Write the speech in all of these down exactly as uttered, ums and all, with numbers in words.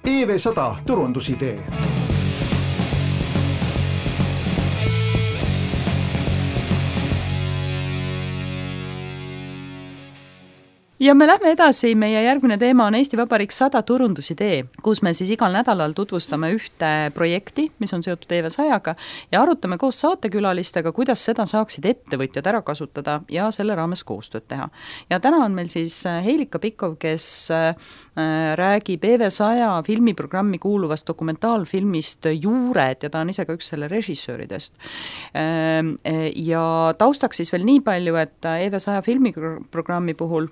E V sada turundusidee. Ja me lähme edasi, meie järgmine teema on Eesti Vabariik sada turundusidee, kus me siis igal nädalal tutvustame ühte projekti, mis on seotud E V sajaga ja arutame koos saatekülalistega, kuidas seda saaksid ettevõtjad ära kasutada ja selle raames koostööd teha. Ja täna on meil siis Heilika Pikov, kes räägib E V saja filmiprogrammi kuuluvast dokumentaalfilmist Juured ja ta on ise ka üks selle režissööridest. Ja taustaks siis veel nii palju, et E V saja filmiprogrammi puhul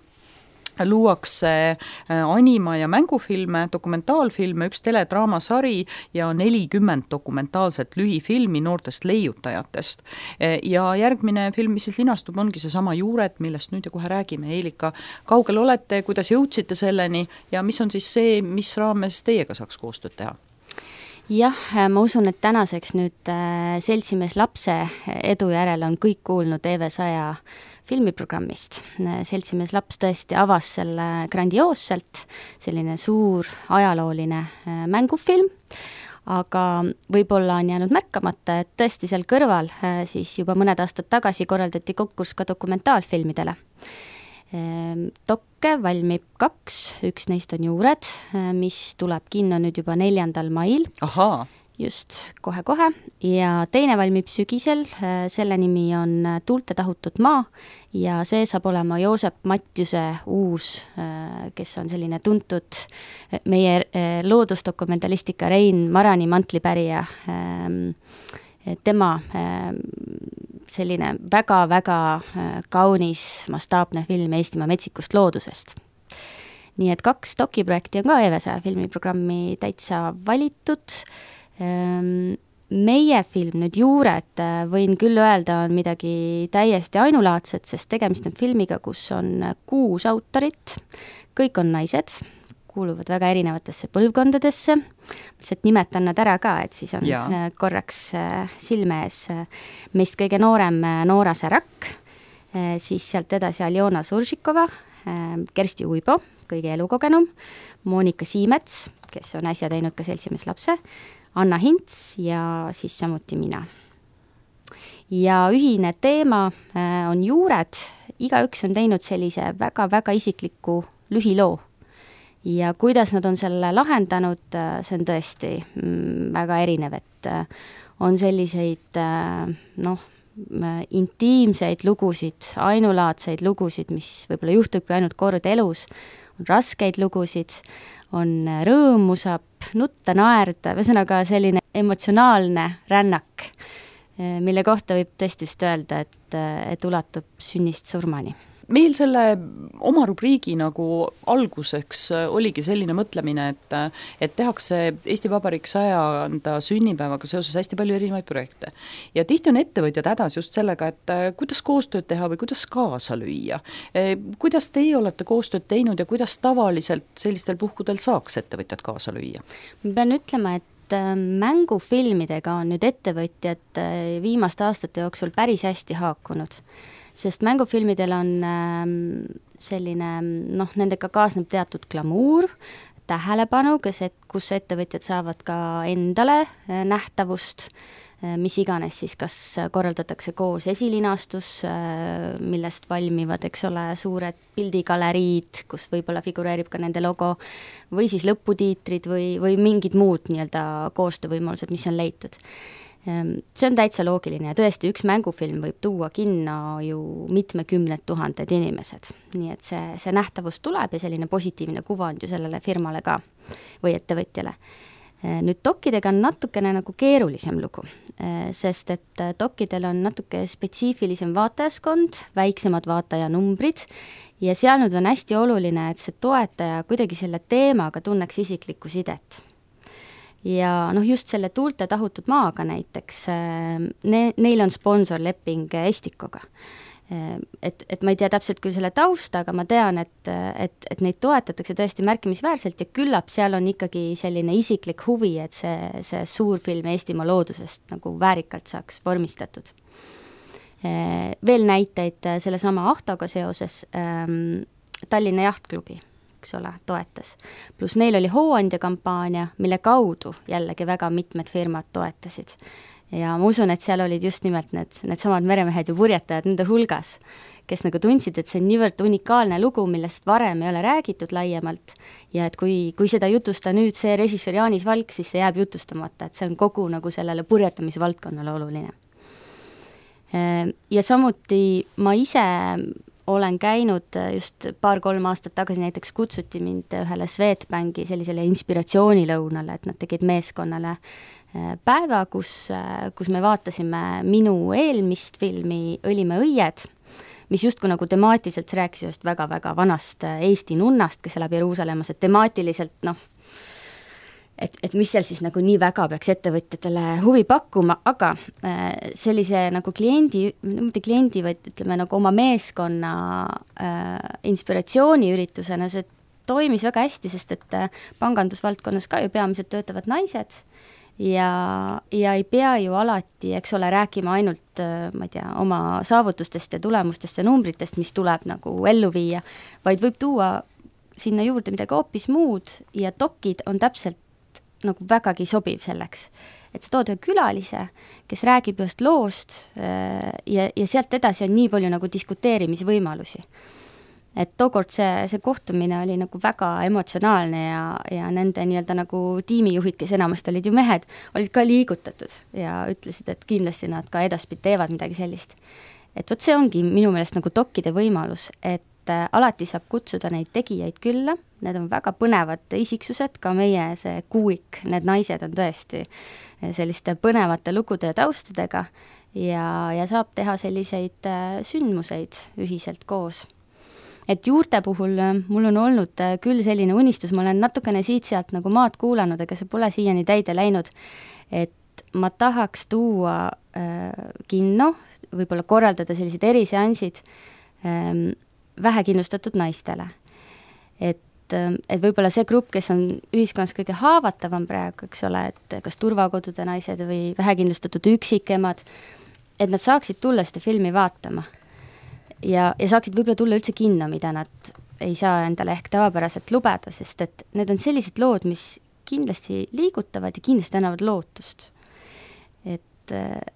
luuakse anima- ja mängufilme, dokumentaalfilme, üks teledraamasari ja nelikümmend dokumentaalset lühifilmi noortest leiutajatest. Ja järgmine film, mis siis linastub, ongi see sama Juured, millest nüüd ja kohe räägime. Heilika, kaugel olete, kuidas jõudsite selleni ja mis on siis see, mis raames teiega saaks koostööd teha? Jah, ma usun, et tänaseks nüüd seltsimees lapse edu järel on kõik kuulnud E V saja filmiprogrammist. Seltsimees laps tõesti avas selle grandioosselt, selline suur ajalooline mängufilm, aga võib-olla on jäänud märkamata, et tõesti seal kõrval siis juba mõned aastad tagasi korraldati konkurss ka dokumentaalfilmidele. Dokke valmib kaks, üks neist on Juured, mis tuleb kinno nüüd juba neljandal mail. Ahaa. Just, kohe-kohe. Ja teine valmib sügisel, selle nimi on Tuulte tahutud maa ja see saab olema Joosep Matjuse uus, kes on selline tuntud meie loodusdokumentalistika Rein Marani mantlipärija. Tema selline väga-väga kaunis mastaapne film Eestimaa metsikust loodusest. Nii et kaks dokiprojekti on ka E V saja filmiprogrammi täitsa valitud. Meie film nüüd Juured, võin küll öelda, on midagi täiesti ainulaadset, sest tegemist on filmiga, kus on kuus autorit, kõik on naised, kuuluvad väga erinevatesse põlvkondadesse, lihtsalt nimetan nad ära ka, et siis on ja. korraks silme ees meist kõige noorem Noora Särak, siis sealt edasi Aljona Suržikova, Kersti Uibo, kõige elukogenum, Monika Siimets, kes on äsja teinud ka seltsimees lapse, Anna Hints ja siis samuti mina. Ja ühine teema on Juured, igaüks on teinud sellise väga-väga isikliku lühiloo. Ja kuidas nad on selle lahendanud, see on tõesti väga erinev, et on selliseid noh, intiimseid lugusid, ainulaadseid lugusid, mis võib-olla juhtubki ainult kord elus, on raskeid lugusid, on rõõmu, saab nutta, naerda, ühesõnaga selline emotsionaalne rännak, mille kohta võib tõesti vist öelda, et, et ulatub sünnist surmani. Meil selle oma rubriigi nagu alguseks oligi selline mõtlemine, et, et tehakse Eesti Vabariik sajanda sünnipäevaga seoses hästi palju erinevaid projekte. Ja tihti on ettevõtjad hädas just sellega, et kuidas koostööd teha või kuidas kaasa lüüa. Kuidas teie olete koostööd teinud ja kuidas tavaliselt sellistel puhkudel saaks ettevõtjad kaasa lüüa? Ma pean ütlema, et mängufilmidega on nüüd ettevõtjad viimaste aastate jooksul päris hästi haakunud. Sest mängufilmidel on selline, noh, nendega kaasneb teatud glamuur, tähelepanu, kus, et, kus ettevõtjad saavad ka endale nähtavust, mis iganes siis, kas korraldatakse koos esilinastus, millest valmivad, eks ole, suured pildigaleriid, kus võib-olla figureerib ka nende logo, või siis lõputiitrid või, või mingid muud nii-öelda koostöövõimalused, mis on leitud. See on täitsa loogiline ja tõesti üks mängufilm võib tuua kinno ju mitmekümned tuhanded inimesed. Nii et see, see nähtavus tuleb ja selline positiivne kuvand ju sellele firmale ka või ettevõtjale. Nüüd dokidega on natukene nagu keerulisem lugu, sest et dokidel on natuke spetsiifilisem vaatajaskond, väiksemad vaatajanumbrid ja seal nüüd on hästi oluline, et see toetaja kuidagi selle teemaga tunneks isiklikku sidet. Ja noh, just selle Tuulte tahutud maaga näiteks, ne, neil on sponsorleping Estikoga. Et, et ma ei tea täpselt küll selle tausta, aga ma tean, et, et, et neid toetatakse tõesti märkimisväärselt ja küllap seal on ikkagi selline isiklik huvi, et see, see suur film Eestimaa loodusest nagu väärikalt saaks vormistatud. Veel näiteid selle sama Ahtoga seoses, Tallinna Jahtklubi. eks ole, toetas. Pluss neil oli hooandja kampaania, mille kaudu jällegi väga mitmed firmad toetasid. Ja ma usun, et seal olid just nimelt need, need samad meremehed ja purjetajad nende hulgas, kes nagu tundsid, et see on niivõrd unikaalne lugu, millest varem ei ole räägitud laiemalt ja et kui, kui seda jutusta nüüd see režissöör Jaanis Valk, siis see jääb jutustamata, et see on kogu nagu sellele purjetamisvaldkonnale oluline. Ja samuti ma ise olen käinud just paar-kolm aastat tagasi, näiteks kutsuti mind ühele Swedbanki sellisele inspiratsioonilõunale, et nad tegid meeskonnale päeva, kus, kus me vaatasime minu eelmist filmi Õlimäe õied, mis justkui nagu temaatiliselt rääkis just väga-väga vanast Eesti nunnast, kes elab Jeruusalemmas, et temaatiliselt noh, et, et mis seal siis nagu nii väga peaks ettevõtjatele huvi pakkuma, aga sellise nagu kliendi, mitte kliendi, vaid ütleme nagu oma meeskonna äh, inspiratsiooniüritusena see toimis väga hästi, sest et pangandusvaldkonnas ka ju peamiselt töötavad naised, ja, ja ei pea ju alati, eks ole, rääkima ainult, ma ei tea, oma saavutustest ja tulemustest ja numbritest, mis tuleb nagu ellu viia, vaid võib tuua sinna juurde midagi hoopis muud ja dokid on täpselt nagu vägagi sobiv selleks. Et sa tood ühe külalise, kes räägib just loost ja, ja sealt edasi on nii palju nagu diskuteerimisvõimalusi. Et tookord see, see kohtumine oli nagu väga emotsionaalne ja, ja nende nii-öelda nagu tiimijuhid, kes enamasti olid ju mehed, olid ka liigutatud ja ütlesid, et kindlasti nad ka edaspidi teevad midagi sellist. Et võt see ongi minu meelest nagu dokkide võimalus, et alati saab kutsuda neid tegijaid külla, need on väga põnevad isiksused, ka meie see kuuik, need naised on tõesti selliste põnevate lugude ja taustadega ja, ja saab teha selliseid sündmuseid ühiselt koos. Et juurte puhul mul on olnud küll selline unistus, ma olen natukene siit-sealt nagu maad kuulanud, aga see pole siiani täide läinud, et ma tahaks tuua äh, kinno, võib-olla korraldada sellised eriseansid äh, vähekindlustatud naistele. Et, äh, et võib-olla see grupp, kes on ühiskonnas kõige haavatavam praegu, eks ole, et kas turvakodude naised või vähekindlustatud üksikemad, et nad saaksid tulla seda filmi vaatama. Ja, ja saaksid võib-olla tulla üldse kinno, mida nad ei saa endale ehk tavapäraselt lubada, sest et need on sellised lood, mis kindlasti liigutavad ja kindlasti annavad lootust. Et,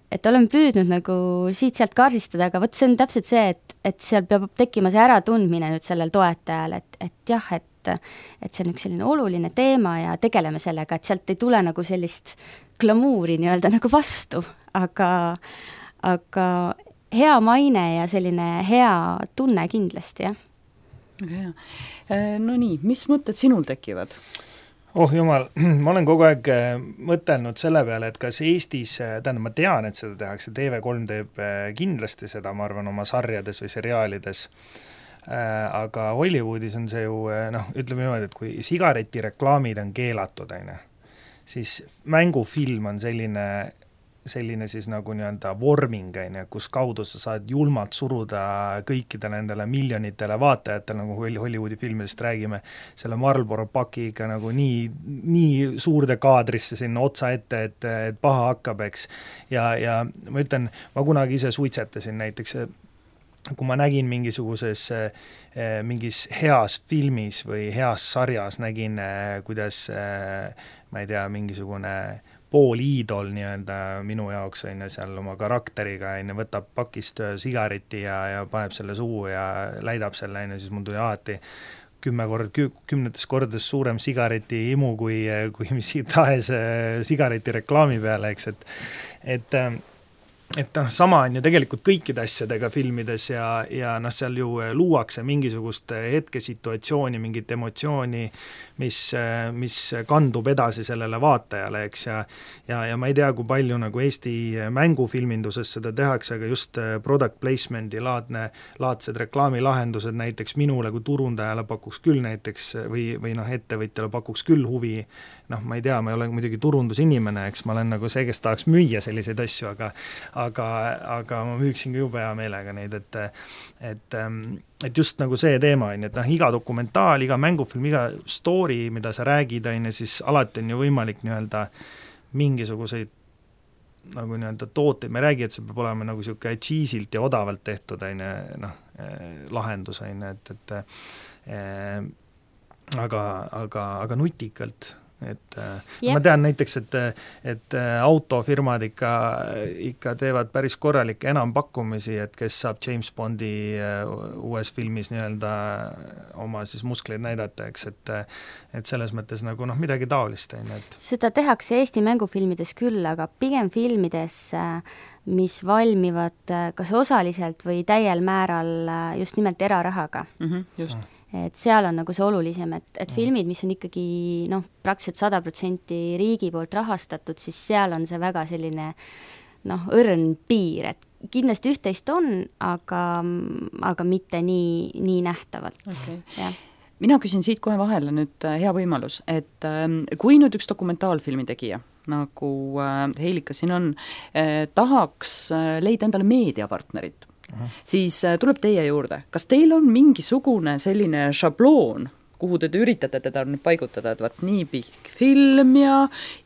et olen püüdnud nagu siit-sealt kaardistada, aga võt see on täpselt see, et, et seal peab tekkima see äratundmine nüüd sellel toetajal, et, et jah, et, et see on üks selline oluline teema ja tegeleme sellega, et sealt ei tule nagu sellist glamuuri nii-öelda nagu vastu, aga, aga hea maine ja selline hea tunne kindlasti, jah. Väga hea. No nii, mis mõtted sinul tekivad? Oh jumal, ma olen kogu aeg mõtelnud selle peale, et kas Eestis, tähendab, ma tean, et seda tehakse, T V kolm teeb kindlasti seda, ma arvan, oma sarjades või seriaalides, aga Hollywoodis on see ju, noh, ütleme niimoodi, et kui sigaretireklaamid on keelatud, aine, siis mängufilm on selline selline siis nagu nii-öelda vorming, kus kaudu sa saad julmalt suruda kõikide nendele miljonitele vaatajatele, nagu Hollywoodi filmidest räägime, selle Marlboro pakiga nagu nii, nii suurde kaadrisse sinna otsa ette, et, et paha hakkab, eks. Ja, ja ma ütlen, ma kunagi ise suitsetasin näiteks, kui ma nägin mingisuguses mingis heas filmis või heas sarjas nägin, kuidas ma ei tea, mingisugune pool iidol nii-öelda minu jaoks on seal oma karakteriga, on, võtab pakist sigareti ja, ja paneb selle suu ja läidab selle, on, siis mul tuli alati kümme kord, kümnetes kordades suurem sigareti imu kui, kui mis tahes sigareti reklaami peale, eks, et, et et noh, sama on ju tegelikult kõikide asjadega filmides ja, ja noh, seal ju luuakse mingisugust hetkesituatsiooni, mingit emotsiooni, mis, mis kandub edasi sellele vaatajale, eks, ja, ja, ja ma ei tea, kui palju nagu Eesti mängufilminduses seda tehakse, aga just product placement'i laadne, laadsed reklaamilahendused näiteks minule kui turundajale pakuks küll näiteks või, või noh, ettevõtjale pakuks küll huvi, noh, ma ei tea, ma ei ole muidugi turundusinimene, eks ma olen nagu see, kes tahaks müüa selliseid asju, aga aga, aga ma müüksin ka jube hea meelega neid, et, et, et just nagu see teema on, et noh, iga dokumentaal, iga mängufilm, iga story, mida sa räägid, on, siis alati on ju võimalik nii-öelda mingisuguseid nagu nii-öelda tooteid, me räägi, et see peab olema nagu siuke cheesilt ja odavalt tehtud, on, noh, lahendus, on, et, et aga, aga, aga nutikalt. Et Jep. ma tean näiteks, et, et autofirmad ikka, ikka teevad päris korralikke enampakkumisi, et kes saab James Bondi uues filmis nii-öelda oma siis muskleid näidata, eks, et, et selles mõttes nagu noh, midagi taolist. Et... seda tehakse Eesti mängufilmides küll, aga pigem filmides, mis valmivad kas osaliselt või täiel määral just nimelt erarahaga. Mm-hmm, just. Mm. Et seal on nagu see olulisem, et, et filmid, mis on ikkagi noh, praktiliselt sada protsenti riigi poolt rahastatud, siis seal on see väga selline noh, õrn piir, et kindlasti üht-teist on, aga, aga mitte nii, nii nähtavalt. Okay. Ja. Mina küsin siit kohe vahele nüüd hea võimalus, et kui nüüd üks dokumentaalfilmi tegija, nagu Heilika siin on, tahaks leida endale meediapartnerit, Aha. siis tuleb teie juurde. Kas teil on mingisugune selline šabloon, kuhu te üritate teda nüüd paigutada, et vaat nii pikk film ja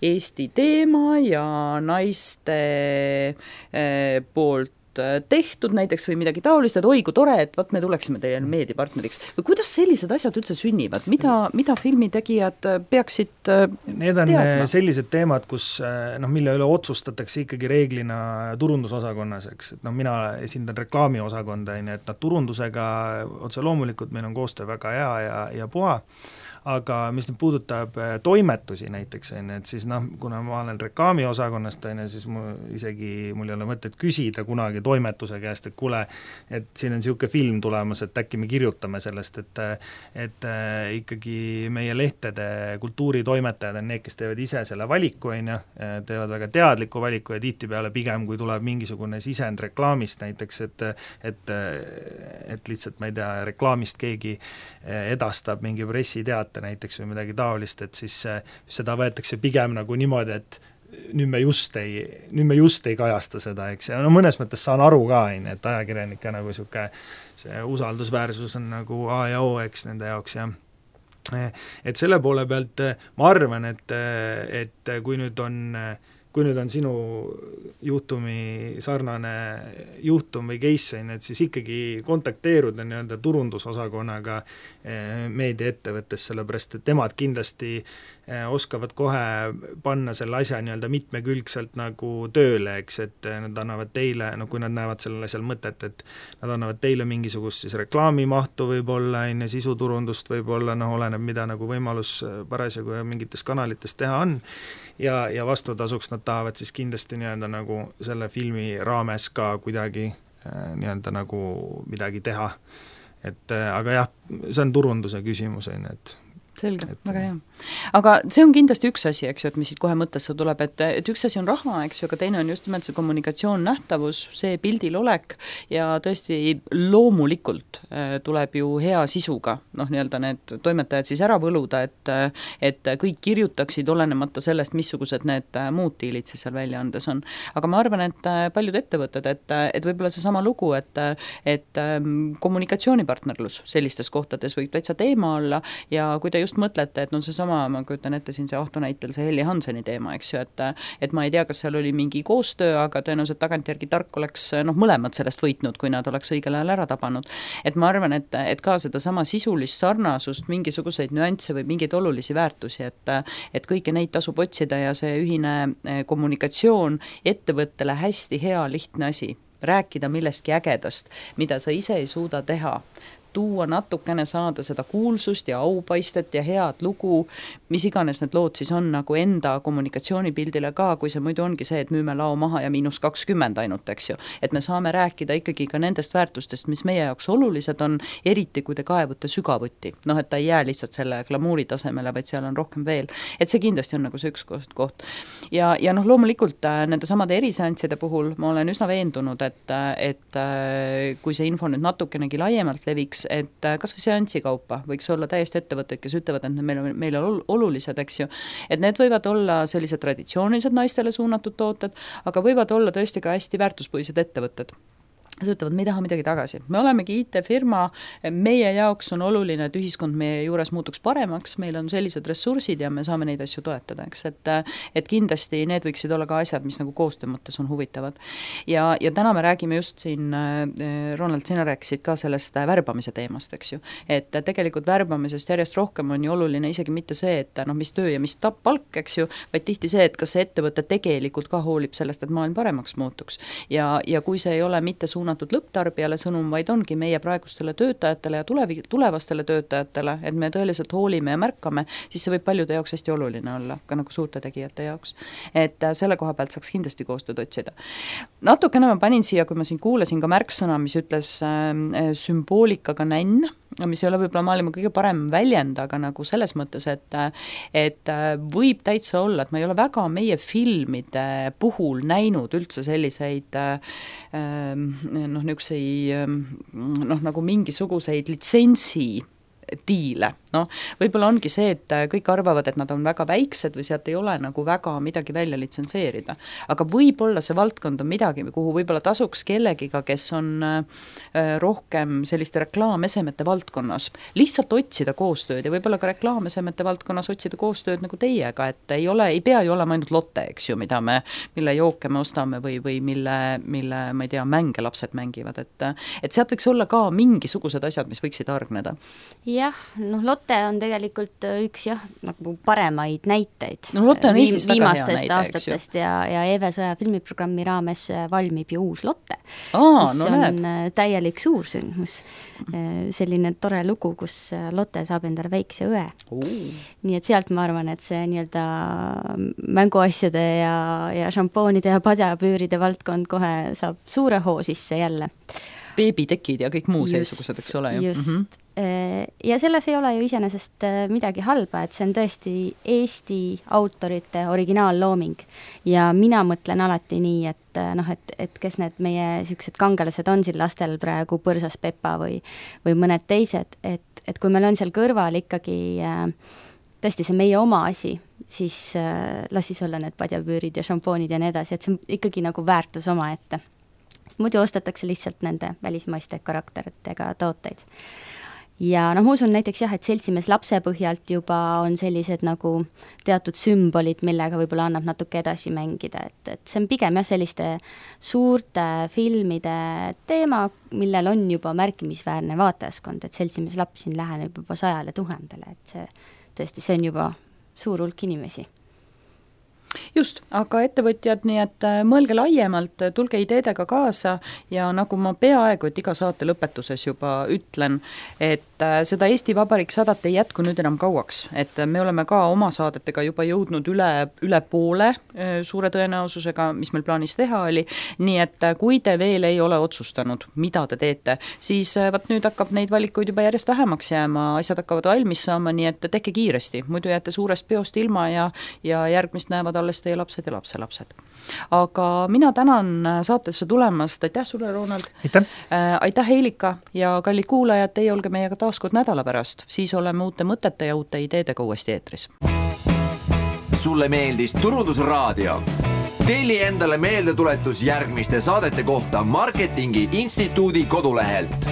Eesti teema ja naiste eh, poolt tehtud näiteks või midagi taolist, et oi, kui tore, et vaat me tuleksime teie meediapartneriks. Või kuidas sellised asjad üldse sünnivad? Mida, mida filmitegijad peaksid Need on teadma? Sellised teemad, kus, noh, mille üle otsustatakse ikkagi reeglina turundusosakonnas, eks. Et noh, mina esindan reklaamiosakonda, et nad turundusega otse loomulikult meil on koostöö väga hea ja, ja puha, aga mis nüüd puudutab toimetusi näiteks, et siis noh, kuna ma olen reklaamiosakonnast, siis mu, isegi mul ei ole mõtet küsida kunagi toimetuse käest, et kuule, et siin on niisugune film tulemas, et äkki me kirjutame sellest, et, et ikkagi meie lehtede kultuuritoimetajad on need, kes teevad ise selle valiku, on ju, teevad väga teadliku valiku ja tihtipeale pigem, kui tuleb mingisugune sisend reklaamist näiteks, et, et, et lihtsalt, ma ei tea, reklaamist keegi edastab mingi pressiteate näiteks või midagi taolist, et siis seda võetakse pigem nagu niimoodi, et nüüd me just ei, nüüd me just ei kajasta seda, eks, ja no mõnes mõttes saan aru ka, et ajakirjanike nagu siuke, see usaldusväärsus on nagu A ja O, eks, nende jaoks, ja et selle poole pealt ma arvan, et, et kui nüüd on kui nüüd on sinu juhtumi sarnane juhtum või case, et siis ikkagi kontakteeruda nii-öelda turundusosakonnaga meediaettevõttes, sellepärast et temad kindlasti oskavad kohe panna selle asja nii-öelda mitmekülgselt nagu tööle, eks, et nad annavad teile, no kui nad näevad sellel asjal mõtet, et nad annavad teile mingisugust siis reklaamimahtu võib-olla, enne sisuturundust võib-olla, noh, oleneb, mida nagu võimalus parasjagu mingites kanalites teha on, ja, ja vastutasuks nad tahavad siis kindlasti nii-öelda nagu selle filmi raames ka kuidagi nii-öelda nagu midagi teha. Et aga jah, see on turunduse küsimus, et selge, väga hea. Aga see on kindlasti üks asi, eks ju, et mis siit kohe mõttesse tuleb, et, et üks asi on raha, eks ju, aga teine on just nimelt see kommunikatsioon, nähtavus, see pildil olek ja tõesti loomulikult tuleb ju hea sisuga, noh, nii-öelda need toimetajad siis ära võluda, et, et kõik kirjutaksid olenemata sellest, missugused need muud diilid siis seal välja andes on. Aga ma arvan, et paljud ettevõtted, et, et võib-olla see sama lugu, et, et kommunikatsioonipartnerlus sellistes kohtades võib täitsa teema olla ja kui te just mõtlete, et no see sama, ma kujutan ette siin see Ahto näitel see Helli Hanseni teema, eks ju, et, et ma ei tea, kas seal oli mingi koostöö, aga tõenäoliselt tagantjärgi tark oleks noh, mõlemad sellest võitnud, kui nad oleks õigel ajal ära tabanud. Et ma arvan, et, et ka seda sama sisulist sarnasust, mingisuguseid nüansse või mingeid olulisi väärtusi, et, et kõiki neid tasub otsida ja see ühine kommunikatsioon ettevõttele hästi hea, lihtne asi. Rääkida millestki ägedast, mida sa ise ei suuda teha. Tuua natukene saada seda kuulsust ja aupaistet ja head lugu, mis iganes need lood siis on nagu enda kommunikatsioonipildile ka, kui see muidu ongi see, et müüme lao maha ja miinus kakskümmend ainult, eks ju. Et me saame rääkida ikkagi ka nendest väärtustest, mis meie jaoks olulised on, eriti kui te kaevute sügavuti. Noh, et ta ei jää lihtsalt selle glamuuri tasemele, vaid seal on rohkem veel. Et see kindlasti on nagu see üks koht. koht. Ja, ja noh, loomulikult nende samade eriseansside puhul ma olen üsna veendunud, et, et kui see info nüüd natukenegi laiemalt leviks, et kas või seanssi kaupa võiks olla täiesti ettevõtted, kes ütlevad, et meil on, meil on olulised, eks ju, et need võivad olla sellised traditsioonilised naistele suunatud tooted, aga võivad olla tõesti ka hästi väärtuspõhised ettevõtted. Nad ütlevad, me ei taha midagi tagasi. Me olemegi I T-firma, meie jaoks on oluline, et ühiskond meie juures muutuks paremaks, meil on sellised ressursid ja me saame neid asju toetada, eks, et, et kindlasti need võiksid olla ka asjad, mis nagu koostöö mõttes on huvitavad. Ja, ja täna me räägime just siin, Ronald, sina rääkisid ka sellest värbamise teemast, eks ju, et tegelikult värbamisest järjest rohkem on ju oluline isegi mitte see, et noh, mis töö ja mis tapp palk, eks ju, vaid tihti see, et kas see ettevõte tegelikult ka hoolib sellest, et maailm paremaks muutuks. Ja, ja kui see ei ole mitte suunatud suunatud lõpptarbijale sõnum, vaid ongi meie praegustele töötajatele ja tulevi, tulevastele töötajatele, et me tõeliselt hoolime ja märkame, siis see võib paljude jaoks hästi oluline olla, ka nagu suurte tegijate jaoks. Et selle koha pealt saaks kindlasti koostööd otsida. Natukene ma panin siia, kui ma siin kuulasin ka märksõna, mis ütles äh, sümboolikaga nänn, mis ei ole võib-olla maailma kõige parem väljend, aga nagu selles mõttes, et, et võib täitsa olla, et ma ei ole väga meie filmide puhul näinud üldse selliseid noh, niisuguseid noh, nagu mingisuguseid litsentsi diile. No, võib-olla ongi see, et kõik arvavad, et nad on väga väiksed või sealt ei ole nagu väga midagi välja litsenseerida. Aga võib-olla see valdkond on midagi, kuhu võib-olla tasuks kellegiga, kes on rohkem selliste reklaamesemete valdkonnas. Lihtsalt otsida koostööd ja võib-olla ka reklaamesemete valdkonnas otsida koostööd nagu teiega, et ei ole, ei pea ju olema ainult lotte, eks ju, mida me, mille jooke me ostame või, või mille, mille, ma ei tea, mänge lapsed mängivad. Et, et sealt võiks olla ka mingisugused asjad, mis võiksid hargneda. Jah, noh, Lotte on tegelikult üks jah, nagu paremaid näiteid. No Lotte on Eestis väga hea näide, aastatest ja, ja Eve Sõja filmiprogrammi raames valmib ju uus Lotte, Aa, mis no on näed. täielik suursündmus. Selline tore lugu, kus Lotte saab endale väikse õe. Uh. Nii et sealt ma arvan, et see nii-öelda mänguasjade ja, ja šampoonide ja padjapüüride valdkond kohe saab suure hoo sisse jälle. Beebitekid ja kõik muu seesugused, eks ole ju. Just. Mm-hmm. Ja selles ei ole ju iseenesest midagi halba, et see on tõesti Eesti autorite originaallooming ja mina mõtlen alati nii, et noh, et, et kes need meie siuksed kangelased on siin lastel praegu, Põrsas Pepa või, või mõned teised, et, et kui meil on seal kõrval ikkagi tõesti see meie oma asi, siis las siis olla need padjapüürid ja šampoonid ja nii edasi, et see on ikkagi nagu väärtus oma ette. Muidu ostetakse lihtsalt nende välismaiste karakteritega tooteid. Ja noh, ma usun näiteks jah, et seltsimees lapse põhjalt juba on sellised nagu teatud sümbolid, millega võib-olla annab natuke edasi mängida, et, et see on pigem jah selliste suurte filmide teema, millel on juba märkimisväärne vaatajaskond, et seltsimees laps siin läheneb juba sajale tuhandele, et see tõesti, see on juba suur hulk inimesi. Just, aga ettevõtjad, nii et mõelge laiemalt, tulge ideedega kaasa ja nagu ma peaaegu, et iga saate lõpetuses juba ütlen, et seda Eesti Vabariik sadat ei jätku nüüd enam kauaks, et me oleme ka oma saadetega juba jõudnud üle, üle poole suure tõenäosusega, mis meil plaanis teha oli, nii et kui te veel ei ole otsustanud, mida te teete, siis vaat nüüd hakkab neid valikuid juba järjest vähemaks jääma, asjad hakkavad valmis saama, nii et tehke kiiresti, muidu jääte suurest peost ilma ja, ja järgmist näevad alles teie lapsed ja lapselapsed. Aga mina tänan saatesse tulemast, aitäh sulle, Ronald. Aitäh. Äh, aitäh, Heilika ja kallid kuulajad, teie olge meiega taaskord nädala pärast, siis oleme uute mõtete ja uute ideedega uuesti eetris. Sulle meeldis Turundusraadio? Telli endale meeldetuletus järgmiste saadete kohta Marketingi Instituudi kodulehelt.